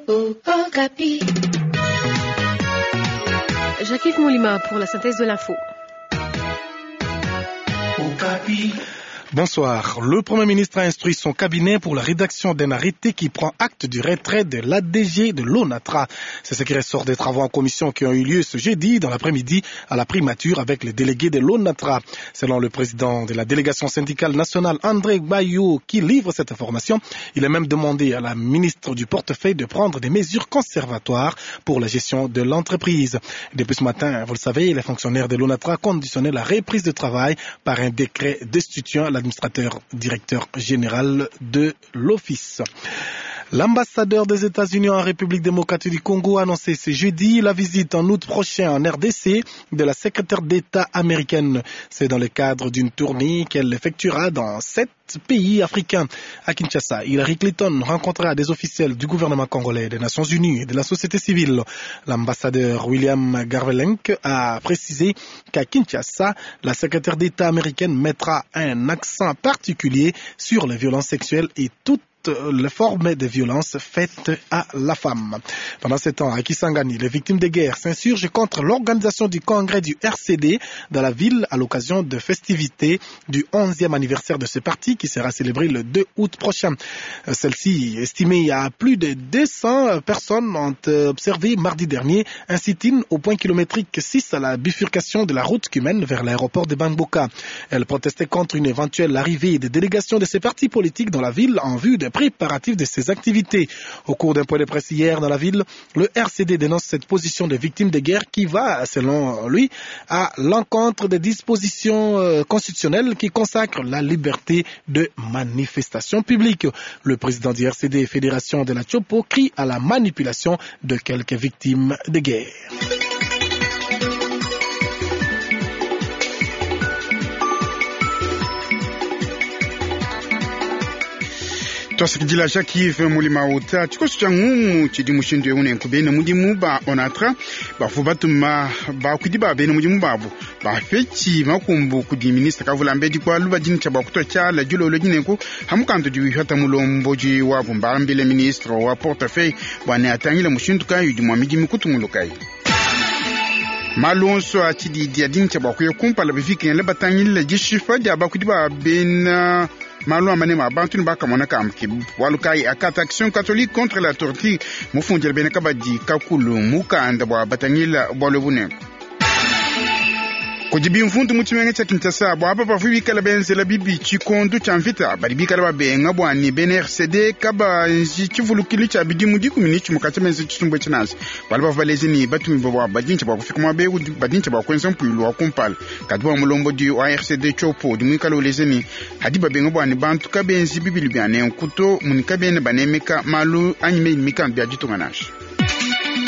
Okapi. Jacques Moulima pour la synthèse de l'info. Bonsoir. Le Premier ministre a instruit son cabinet pour la rédaction d'un arrêté qui prend acte du retrait de l'ADG de l'ONATRA. C'est ce qui ressort des travaux en commission qui ont eu lieu ce jeudi dans l'après-midi à la primature avec les délégués de l'ONATRA. Selon le président de la délégation syndicale nationale, André Bayou, qui livre cette information, il a même demandé à la ministre du portefeuille de prendre des mesures conservatoires pour la gestion de l'entreprise. Depuis ce matin, vous le savez, les fonctionnaires de l'ONATRA conditionnaient la reprise de travail par un décret destituant l'administrateur directeur général de l'office. L'ambassadeur des États-Unis en République démocratique du Congo a annoncé ce jeudi la visite en août prochain en RDC de la secrétaire d'État américaine. C'est dans le cadre d'une tournée qu'elle effectuera dans sept pays africains. À Kinshasa, Hillary Clinton rencontrera des officiels du gouvernement congolais, des Nations Unies et de la société civile. L'ambassadeur William Garvelenk a précisé qu'à Kinshasa, la secrétaire d'État américaine mettra un accent particulier sur les violences sexuelles et toutes les formes de violences faites à la femme. Pendant ce temps, à Kisangani, les victimes de guerre s'insurgent contre l'organisation du congrès du RCD dans la ville à l'occasion de festivités du 11e anniversaire de ce parti qui sera célébré le 2 août prochain. Celle-ci, estimée à plus de 200 personnes, ont observé mardi dernier un sit-in au point kilométrique 6 à la bifurcation de la route qui mène vers l'aéroport de Bangboka. Elle protestait contre une éventuelle arrivée des délégations de ces partis politiques dans la ville en vue de préparatifs de ses activités. Au cours d'un point de presse hier dans la ville, le RCD dénonce cette position de victime de guerre qui va, selon lui, à l'encontre des dispositions constitutionnelles qui consacrent la liberté de manifestation publique. Le président du RCD, Fédération de la Chopo, crie à la manipulation de quelques victimes de guerre. Twasakidila Jacques Mulima uta tshikoso tshia ngumu tshidi mushindu eu nenku bena mudimu ba onatra bavu batuma bakuidi ba bena mudimu babu bafetshi makumbu kudi minista kavulambedi kwalu badini tshia bua tshiala dilolo dinenku hamukandu di mulomboji wabu mbambile ministre wa portefeuille bua ne atangile mushindu kayi udi mua midimu kutungulukayi malu onso a tshididi adini tshia bua kuya kumpala bivikengele batangile dishipa dia bakuidi ba bena malu amane ma bantu ne bakamona kamke bualu kayi akata action catholique contre la torture mufundile bena kabadi kakulu mukanda bua batangila bualu bunenku kudi bimvundu mu tshimenga tshia kinshasa bua apa bavua bikala benzela bibi tshikondu tshia mvita badi bikala babenga bua ne bena rcd kabanji tshivulukilu tshia bidimu dikumi ne tshimue katshia benza tshisumbu tshinansi bualu bavua baleje ne batumibue bua badintsha bua kufika muaba eu badintsha bua kuenza mpuilu wa kumpala kadi bua mulombodi wa rcd tshiopo udi muikala uleja ne hadi babenga bua ne bantu kabenzi bibili bia nenku to muni kabena banemeka malu anyi meyi ne mikandu bia ditunga nansha.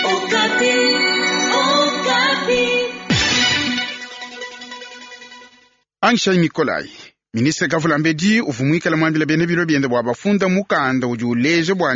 Okapi, Okapi. Anshai Nikolai ministre kavulambedi uvua muikala muambila bena bilo biende bua bafunda mukanda udi uleja bua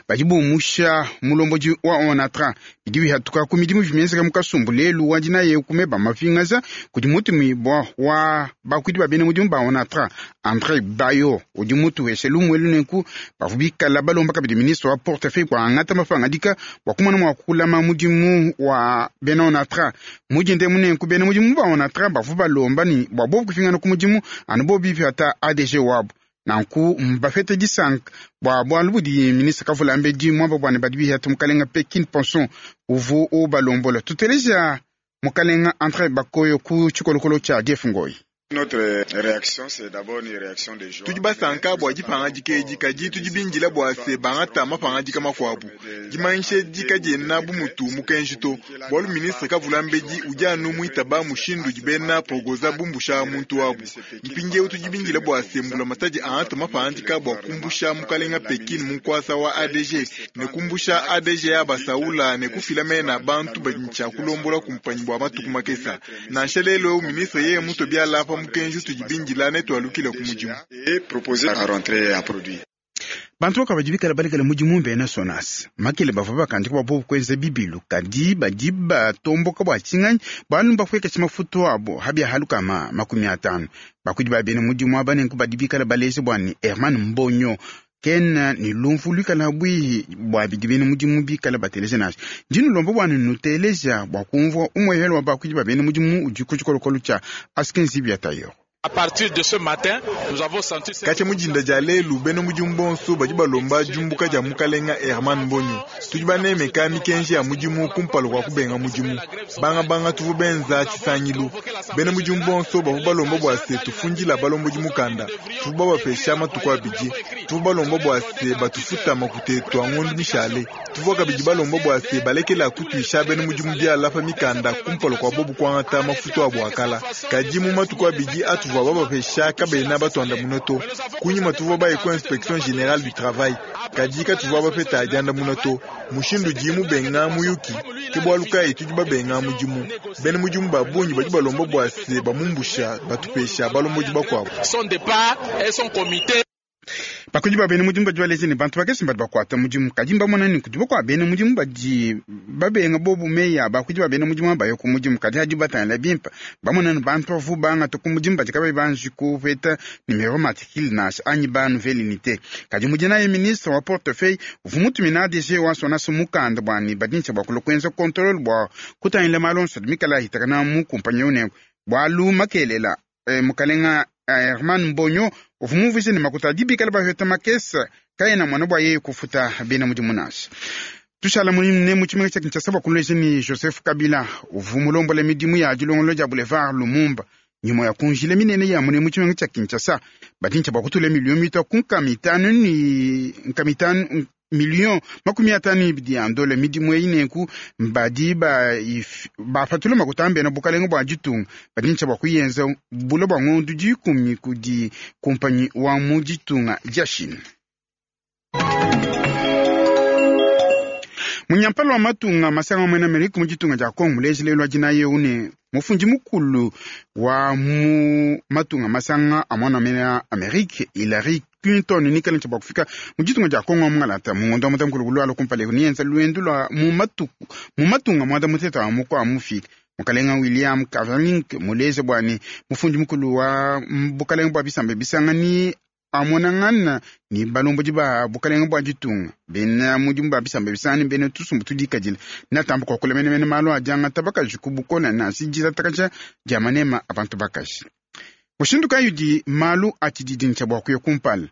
badi bumusha mulombodi wa onatra bidi bihatuka ku midimu bimenzeka mu kasumbu lelu wa dinaye kumeba mapingaza kudi mutumibua wa bakuidi ba bena mudimu ba onatra Andre Bayo udi mutuheshe lumuelu nenku bavua bikala balomba kabidi ministre wa portefeuille bua angata mapangadika bua kumona mua kulama mudimu wa bena onatra mudinde munenku bena mudimu ba onatra bavua balomba ni bua bobu kupingana ku mudimu anu bobu bipata ADG wabu nanku mbafete disanka bua bualu budi ministre kavulambedi muamba bua ne badi bihata mukalenga Pekin Ponson uvu ubalombola tuteleja mukalenga Andre Bakoyo ku tshikolokolo tshia Jeff Ngoyi. Tudi basanka bua dipangadika edi kadi tudi bindila bua se bangata mapangadika makuabu. Dimanyisha edi kadiena bu mutu mukenji to, bualu ministre kavulambedi udi anu muitaba mushindu udi bena progoza bumbusha muntu wabu. Mpindieu tudi bindila bua se mbulamatadi angata mapangadika bua kumbusha mukalenga Pekin mu nkuasa wa ADG ne kumbusha ADG ya basaula ne kufila mena bantu badi ntshia kulombola kumpanyi bua matuku makesa. Nansha lelu eu ministre yeye mutu biala pa mukenji utudi bindila ne tualukile ku mudimu. Bantu bakabadi bikala balekela mudimu bena sonas makele bavua bakandika bua bobu kuenza bibilu kadi badi batomboka bua tshinganyi bualu mbapuekesha mafutu abo habia halukama 50 bakuidi ba bena mudimu aba nenku badi bikala baleja bua ne Herman Mbonyo. Kena ne lumvu luikala bwihi bua bidi bena mudimu bikala bateleja nansha. Ndi nulomba bua nuteleja bua kumvua umuehelo wa bakuidi ba bena mudimu udi ku tshikolokolo tshia Askenzi Biatayo. Katshia mu dinda dia lelu, bena mudimu bonso badi balomba diumbuka dia mukalenga Herman Mbonyo. Tudi banemeka mikenji ya mudimu kumpala kua kubenga mudimu. Bangabanga tuvua benza tshisangilu. Bena mudimu bonso bavua balomba bua se tufundila balombodi mukanda. Tuvua babapesha matuku abidi. Tuvua balomba bua se batufuta makuta etu a ngondo mishale. Tuvua kabidi balomba bua se balekela kutuisha bena mudimu biala pa mikanda kumpala kua bobu kuangata mafutu abu a kala. Kadi mu matuku abidi atuvua babapesha kabena batuandamuna to. Kunyima tuvua baye ku Inspection Generale du Travail, kadi katuvua bapeta diandamuna to. Mushindu udi mubenga muyuki, ke bualu kayi tudi babenga mudimu. Bena mudimu ba bungi badi balomba bua se bamumbusha, batupesha balombodi bakuabu. Bakuidi ba bena mudimu badi baleja ne bantu bakese badi bakuata mudimu, kadi mbamona ne kudi bakuabu bena mudimu badi babenga bobu meyi a bakuidi ba bena mudimu abaye ku mudimu, kadi hadi batangila bimpe bamona ne bantu bavu bangata ku mudimu badi kabayi banji kupeta numero matricule nansha anyi ba nouvelle unité. Kadi mudinaye ministre wa portefeuille uvua mutumina ADG wa SONAS mukanda bua ne badi ne bua kulua kuenza controle bua kutangila malu onso adi mikale ahitakana mu kumpanyi eu nenku bualu makelela mukalenga Herman Mbonyo uvua mumvuije ne makuta adi bikale bapeta makese kaena muana bua yeye kufuta bena mudimu nansha. Tushala ne mu tshimenga tshia Kinshasa bua kuleja ni Joseph Kabila uvua mulombola midimu ya dilongolola dia boulevard Lumumba nyuma ya kunjila minene ya mune mu tshimenga tshia Kinshasa badi ntshia bua kutula milio mitua ku nkama itanu ni nkama itanu million makumi atanu ibidi ya ndola midimu eyi nenku badi bapatula makuta ambena bukalenga bua ditunga badi ntshia bua kuyenza bula bua ngondo dikumi kudi kumpanyi wa mu ditunga dia Chine. Munyampala wa matunga masanga mwena Amerika mu ditunga dia Congo muleji lelu adina eu ne mufundi mukulu wa mu matunga masanga a mwana mena Amerika Hillary Clinton nikala ntshia bua kufika mu ditunga dia Congo mungalata mu ngondo wa mutamukulu kulwala kumpala eku niyenza luendu lua mu matuku mu matunga mwanda muteta wa mukua mufika. Mukalenga William Kavalink muleze bua ne mufundi mukulu wa bukalenga bua bisamba bisanga ni amonangana ni balombodi ba bukalenga bua ditunga bena mudimu ba bisamba bisanga ni bena tusumbu tudikadila natamba kuakula menemene malu adiangata bakaji ku bukola nansi ditatakaja dia manema a bantu bakaji. Mushindu kayi udi malu atshididi ntshia bua kuya kumpala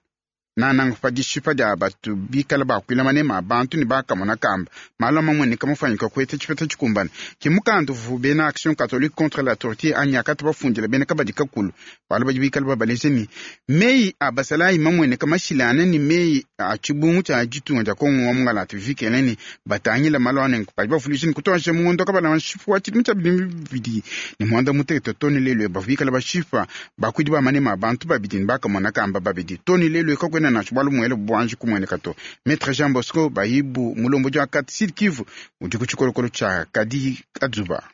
nananga pa dishipa dia batu bikala bakuila manema a bantu ne bakamona kamba malu amamueneka mufanyika kueta tshipeta tshikumbane ke mukanda uvu bena Action Catholique contre la torture anyi akata bafundila bena kabadi kakulu bualu badi bikala babaleja ni meyi a basalayi mamueneka mashilane ni meyi a tshibungu tshia ditunga dia Kongo wa mungalata vikele ni batangila malu anenku badi bavuluija ni kutuaja muondo kabala nshipu wa tshidimu tshia bidimu bibidi ne muanda mutekete toni lelu bavu bikala bashipa bakuidi ba manema a bantu babidi ne bakamona kamba babidi toni lelu kakwena nansha bualu muele buanji kumueneka to. Maître Jean Bosco Bayibu mulombodi wa kati Sud Kivu udi ku tshikolokolo tshia Kadi Kadzuba.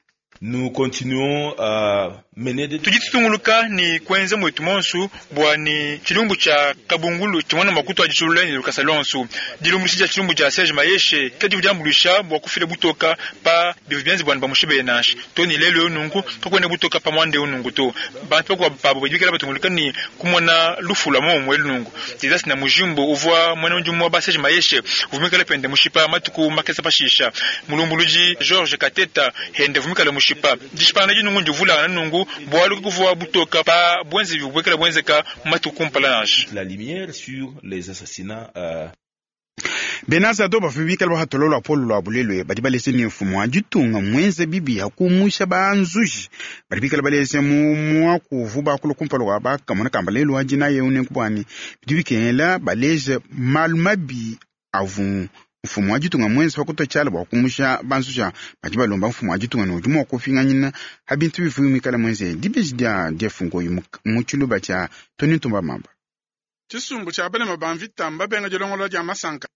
Nous continuons à mener des tudi tutunguluka ni kuenza mwetu monsu bua ni chilumbu cha kabungulu chimwana makutu ajitulula ni lukasa lonsu dilumbulushi dia chilumbu cha Serge Mayeshe kadi budiambulusha bua kufila butoka pa bivu bianzi bwana bamushibe nashi to ni lelo nungu kakwenda butoka pa mwande nungu to bantu bakwa pabo bidikala batunguluka ni kumona lufula mo mwelu nungu dizasi na mujimbo uvwa mwana njumu wa Serge Mayeshe uvumikala pende mushipa matuku makesa pashisha mulumbuluji George Kateta hende vumikala mushipa dishipana jinungu njuvula na nungu bwalu kuvwa butoka pa bwenzi bwekela bwenzeka matuku mpala nashi la lumière sur les assassinats Benazado bafibikala bahatololwa polo lwa bulelwe badi balese ni mfumo wa ditunga mwenze bibi hakumusha banzuji badi bikala balese mu mwakuvu bakulu kumpala wa bakamona kamba lelu adina ye une kubwani bidi bikengela baleze malu mabi avu mfumo wa ditunga mwenze pakutochala bwa kumusha banzuja badi balomba mfumo wa ditunga ne udi mua kufinganyina ha bintu bivuyi mwikala mwenze dibeji dia diafungoyi mu tshiluba tshia Tony Ntumba Mamba. Tshisumbu tshia balema ba mvita mbabenga dilongolola dia masanka.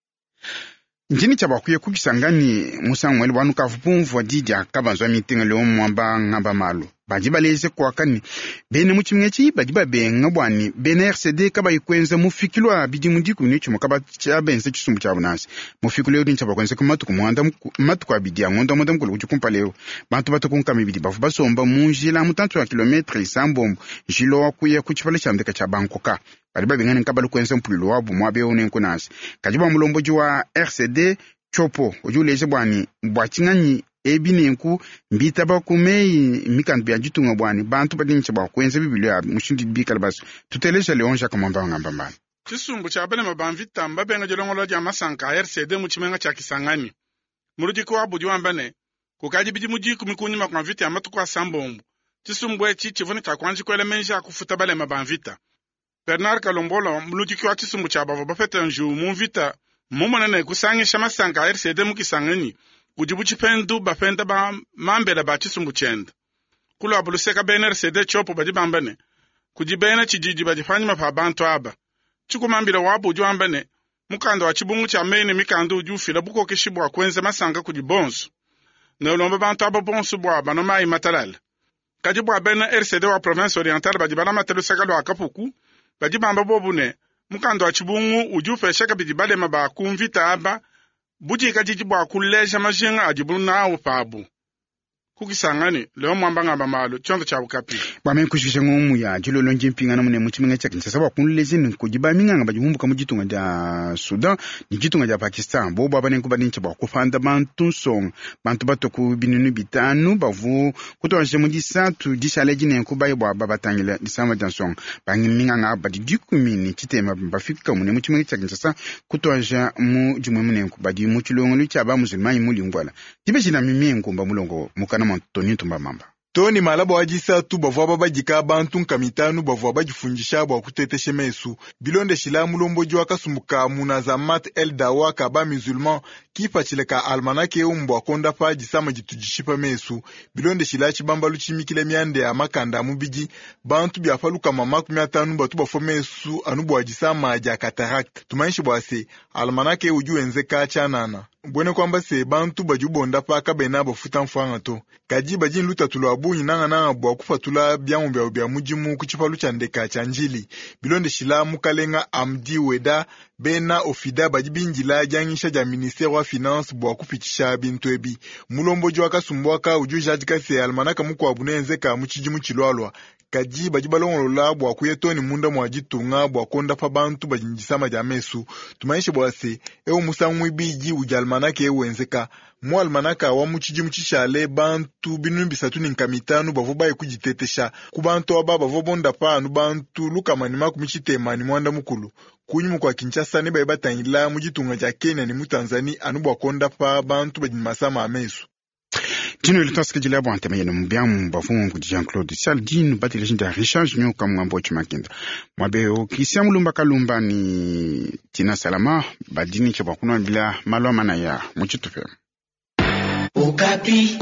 Njini tshia bakuye kubisangani musangu mwele bwanu kavu pumvua di dia kabanzwa mitinga leo mwamba ngamba malu. Badi baleja kuaka ne bena mu tshimenga etshi badi babenga bua ne bena RCD kabayi kuenza mufikilu wa bidimu 11 kabatshiabenza tshisumbu tshiabu nansha. Mufikilu eu ntshia bakuenzeka matuku muanda matuku abidi a ngondo muanda mukulu udi kumpala eu. Bantu batu ku nkama ibidi bavua basomba mu njila mutantshi wa kilometre isambombo njila wa kuya ku tshipala tshia ndeka tshia Bankoka. Badi babenga ne nkabalu kuenza mpulilu wabu muaba eu nenku nansha. Kadi bua mulombodi wa RCD Tshopo udi uleja bua ne bua tshinganyi ebi nenku mbitaba ku meyi mikandu bia ditunga bua ne bantu badi ne bua kuenza bibilu ya mushindu bikale baso. Tuteleja Leon Jacques Mwamba ngamba mbana. Tshisumbu tshia balema ba mvita mbabenga dilongolola dia masanka a RCD mu tshimenga tshia Kisangani. Muludiki wabu udi wamba ne kukadi bidimu 10 kunyima kua mvita ya matuku asambombo. Tshisumbu etshi tshivua ne tshiakuanji kuela menji a kufuta balema ba mvita. Bernard Kalombola muludiki wa tshisumbu tshia bavua bapeta njiwu mu mvita mmumone ne kusangisha masanka a RCD mu Kisangani kudi bu tshipendu bapenda ba mambela ba tshisumbu tshiende. Kulwabu luseka bena RCD Tshopo badi bamba ne kudi bena tshididi badi panyima pa bantu aba. Tshikumambila wabu udi wamba ne mukanda wa tshibungu tshia meyi ne mikanda udi ufila bukokeshi bua kuenza masanka kudi bonso. Ne ulomba bantu aba bonso bua banwe mayi matalale. Kadi bua bena RCD wa province orientale badi balamate luseka lua Kapuku badi bamba bobu ne mukanda wa tshibungu udi upesha kabidi balema ba ku mvita aba budikadidi bua kuleja majinga adibu nawu pabu. Kukisangani Leo Mwamba ngamba malu tshiondo tshia Okapi. Bua meme kushikisha ngumu ya dilolo ndi mpingana mune mu tshimenga tshia Kinshasa bua kunleja ne kudi baminganga badi bumbuka mu ditunga dia Sudan ne ditunga dia Pakistan. Bobu aba nenku badi ne bua kupanda bantu nsonga bantu batue ku 5,000 bavu kutuadija mu disatu dishala edi nenku baye bua babatangila disama dia nsonga. Baminganga aba badi 60 bafika mune mu tshimenga tshia Kinshasa kutuadija mu dimue munenku badi mu tshilongelu tshia ba musulmani mu Lingwala. Dibeji na mimie nkumba mulongo mukana mwa Tony Ntumba Mamba. Tony malaba wa disatu bavua babadika bantu 5,000 bavua badifundisha bua kutetesha mesu. Bilondeshila mulombodi wa kasumbu ka Munazamat El Dawa ka ba musulman kipatshila ka almanake eu mbua kondapa disama ditu dishipa mesu. Bilondeshila tshibambalu tshimikila mianda ya makanda a mubidi bantu bia paluka 50 batu bafua mesu anu bua disama dia cataracte. Tumanyishe bua se almanake udi wenzeka tshianana. Bwene kwamba se bantu badi ubondapa kabena bafuta mfwanga to. Kadi badi lutatu lwa bungi nangananga bua kupatula byamu byabo bya mudimu ku tshipalu tshia ndeka tshia Njili. Bilondeshila mukalenga Amdi Weda bena ofida badi bindila dianyisha dia ministère wa finance bua kupitisha bintu ebi. Mulombodi wa kasumbu aka udi ujadika se almanaka mukuabu neenzeka mu tshidimu tshilwalwa. Kadi badi balongolola bua kuya toni munda mwa ditunga bua kondapa bantu badi ne disama dia mesu. Tumanyishe bua se eu musangu ibidi udi almanaka eu wenzeka. Mu almanaka wa mu tshidimu tshishale bantu 3,500 bavua baye kuditetesha. Ku bantu aba bavua bondapa anu bantu 180. Kunyima kua Kinshasa ne baye batangila mu ditunga dia Kenya ne mu Tanzanie anu bua kondapa bantu badi ne masama a mesu. Dino litwasikidila bua ntema yenu mubiamu bafungu kudi Jean-Claude Saldino bateleji ndia Richard Junior kamwambo chimakenda mwabeo Christian Mulumba Kalumba ni Tina Salama badini cha bua kunwambila malu amana ya muchitupe. Okapi.